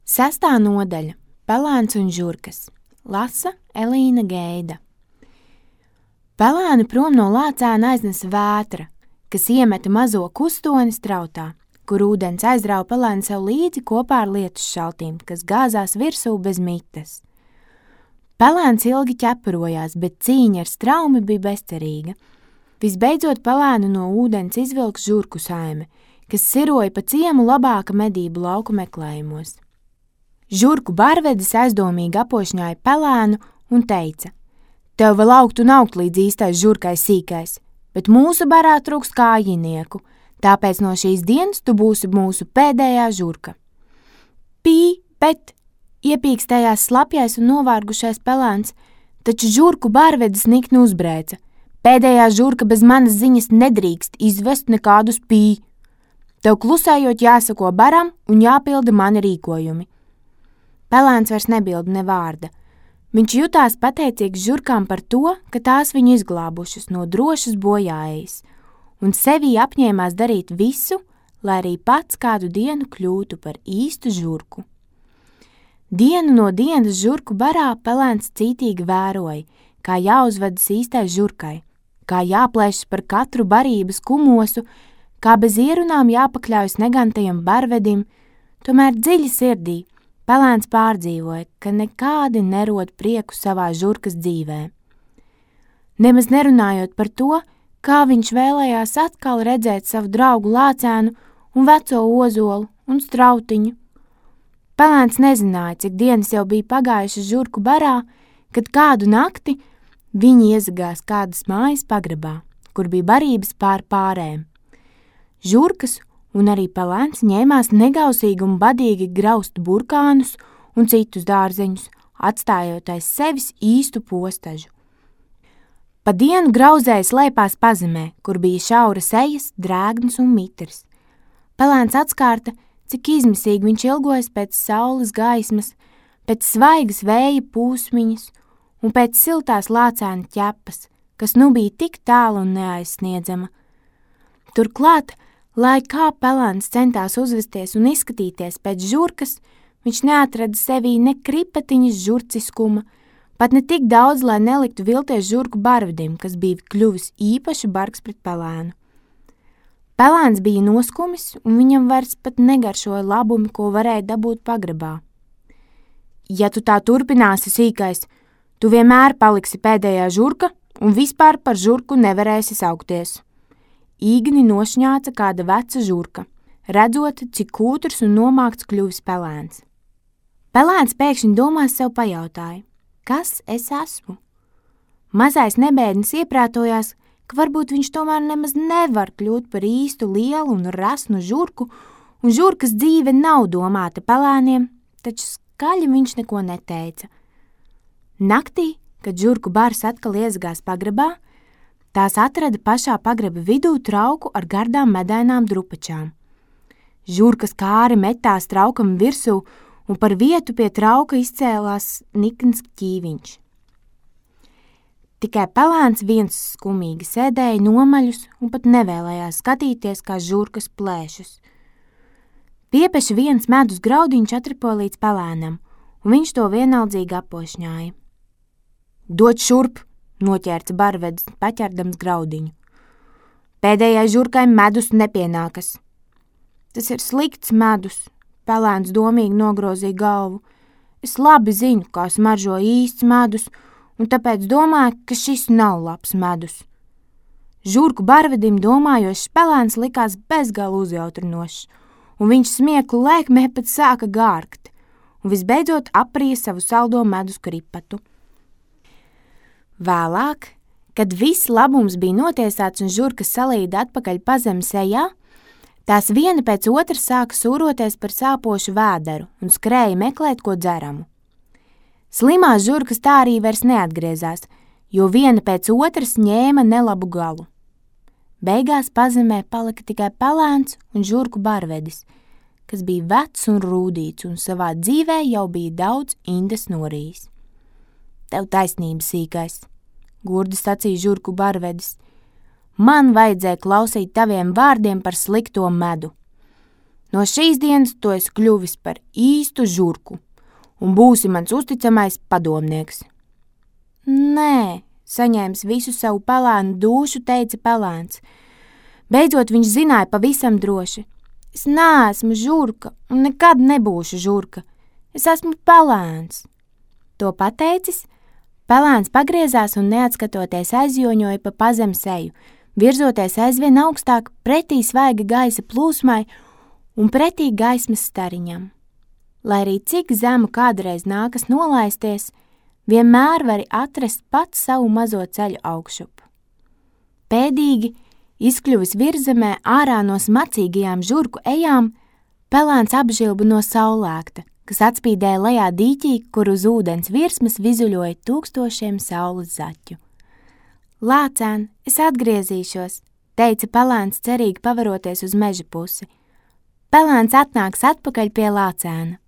Sestā nodaļa – Pelēns un žurkas. Lasa Elīna Geida. Pelēnu prom no lācēna aiznesa vētra, kas iemeta mazo kustoni strautā, kur ūdens aizrāva pelēnu sev līdzi kopā ar lietus šaltīm, kas gāzās virsū bez mites. Pelēns ilgi ķeparojās, bet cīņa ar straumi bija bezcerīga. Visbeidzot pelēnu no ūdens izvilks žurku saime, kas siroja pa ciemu labāka medību lauku meklējumos. Žurku barvedis aizdomīgi apošņāja pelēnu un teica: "Tev vēl augt un augt līdz īstais žurkai sīkais, bet mūsu barā trūkst kājinieku, tāpēc no šīs dienas tu būsi mūsu pēdējā žurka." Pī, bet, iepīkstējās slapjais un novārgušais pelēns, taču žurku barvedis nikni uzbrēca: "Pēdējā žurka bez manas ziņas nedrīkst izvest nekādus pī. Tev klusējot jāsako baram un jāpilda mani rīkojumi." Pelēns vairs nebilda ne vārda. Viņš jutās pateicīgs žurkām par to, ka tās viņu izglābušas no drošas bojāejas, un sevī apņēmās darīt visu, lai arī pats kādu dienu kļūtu par īstu žurku. Dienu no dienas žurku barā pelēns cītīgi vēroja, kā jāuzvedas īstai žurkai, kā jāplēšas par katru barības kumosu, kā bez ierunām jāpakļaujas negantajam barvedim, tomēr dziļi sirdī pelēns pārdzīvoja, ka nekādi nerod prieku savā žurkas dzīvē. Nemaz nerunājot par to, kā viņš vēlējās atkal redzēt savu draugu lācēnu un veco ozolu un strautiņu. Pelēns nezināja, cik dienas jau bija pagājušas žurku barā, kad kādu nakti viņi iezagās kādas mājas pagrabā, kur bija barības pār pārēm. Žurkas un arī pelēns ņēmās negausīgi un badīgi graust burkānus un citus dārzeņus, atstājot aiz sevis īstu postažu. Pa dienu grauzēja slēpās pazemē, kur bija šauras ejas, drēgnas un mitrs. Pelēns atskārta, cik izmisīgi viņš ilgojas pēc saules gaismas, pēc svaigas vēja pūsmiņas un pēc siltās lācēna ķepas, kas nu bija tik tālu un neaizsniedzama. Turklāt, lai kā pelēns centās uzvesties un izskatīties pēc žurkas, viņš neatrada sevī ne kripatiņas žurciskuma, pat ne tik daudz, lai neliktu vilties žurku barvedim, kas bija kļuvis īpaši bargs pret pelēnu. Pelēns bija noskumis, un viņam vairs pat negaršoja labumi, ko varēja dabūt pagrabā. "Ja tu tā turpināsi, sīkais, tu vienmēr paliksi pēdējā žurka un vispār par žurku nevarēsi saukties." Īgni nošņāca kāda veca žurka, redzot, cik kūtrs un nomākts kļuvis pelēns. Pelēns pēkšņi domās sev pajautāja: "Kas es esmu?" Mazais nebēdnis ieprātojās, ka varbūt viņš tomēr nemaz nevar kļūt par īstu lielu un rasnu žurku, un žurkas dzīve nav domāta pelēniem, taču skaļi viņš neko neteica. Naktī, kad žurku bars atkal iezagās pagrabā, tās atrada pašā pagraba vidū trauku ar gardām medainām drupačām. Žurkas kāri metās traukam virsū, un par vietu pie trauka izcēlās nikns ķīviņš. Tikai pelēns viens skumīgi sēdēja nomaļus un pat nevēlējās skatīties, kā žurkas plēšas. Piepeši viens medus graudiņš atripoja līdz pelēnam, un viņš to vienaldzīgi apošņāja. "Dod šurp!" noķērca barvedis, paķerdams graudiņu. "Pēdējai žurkai medus nepienākas." "Tas ir slikts medus," pelēns domīgi nogrozīja galvu. "Es labi zinu, kā smaržo īsts medus, un tāpēc domāju, ka šis nav labs medus." Žurku barvedim domājošs pelēns likās bezgala uzjautrinošs, un viņš smieklu lēkmē pat sāka gārgt, un visbeidzot aprija savu saldo medus kripatu. Vēlāk, kad viss labums bija notiesāts un žurkas salīda atpakaļ pazemes ejā, tās viena pēc otras sāka sūroties par sāpošu vēderu un skrēja meklēt ko dzeramu. Slimās žurkas tā arī vairs neatgriezās, jo viena pēc otras ņēma nelabu galu. Beigās pazemē palika tikai pelēns un žurku barvedis, kas bija vecs un rūdīts un savā dzīvē jau bija daudz indes norījis. "Tev taisnība, sīkais," gurdi sacīja žurku barvedis. "Man vajadzēja klausīt taviem vārdiem par slikto medu. No šīs dienas tu esi kļuvis par īstu žurku un būsi mans uzticamais padomnieks. Nē, saņēmis visu savu pelēnu dūšu, teica pelēns. Beidzot viņš zināja pavisam droši. Es neesmu žurka un nekad nebūšu žurka. Es esmu pelēns. To pateicis, pelēns pagriezās un neatskatoties aizjoņoja pa pazem seju, virzoties aizvien augstāk pretī svaiga gaisa plūsmai un pretī gaismas stariņam. Lai arī cik zemu kādreiz nākas nolaisties, vienmēr vari atrast pats savu mazo ceļu augšup. Pēdīgi, izkļuvis virzemē ārā no smacīgajām žurku ejām, pelēns apžilba no saulēkta, kas atspīdēja lejā dīķī, kur uz ūdens virsmas vizuļoja tūkstošiem saules zaķu. Lācēn, es atgriezīšos, teica pelēns cerīgi pavaroties uz meža pusi. Pelēns atnāks atpakaļ pie lācēna.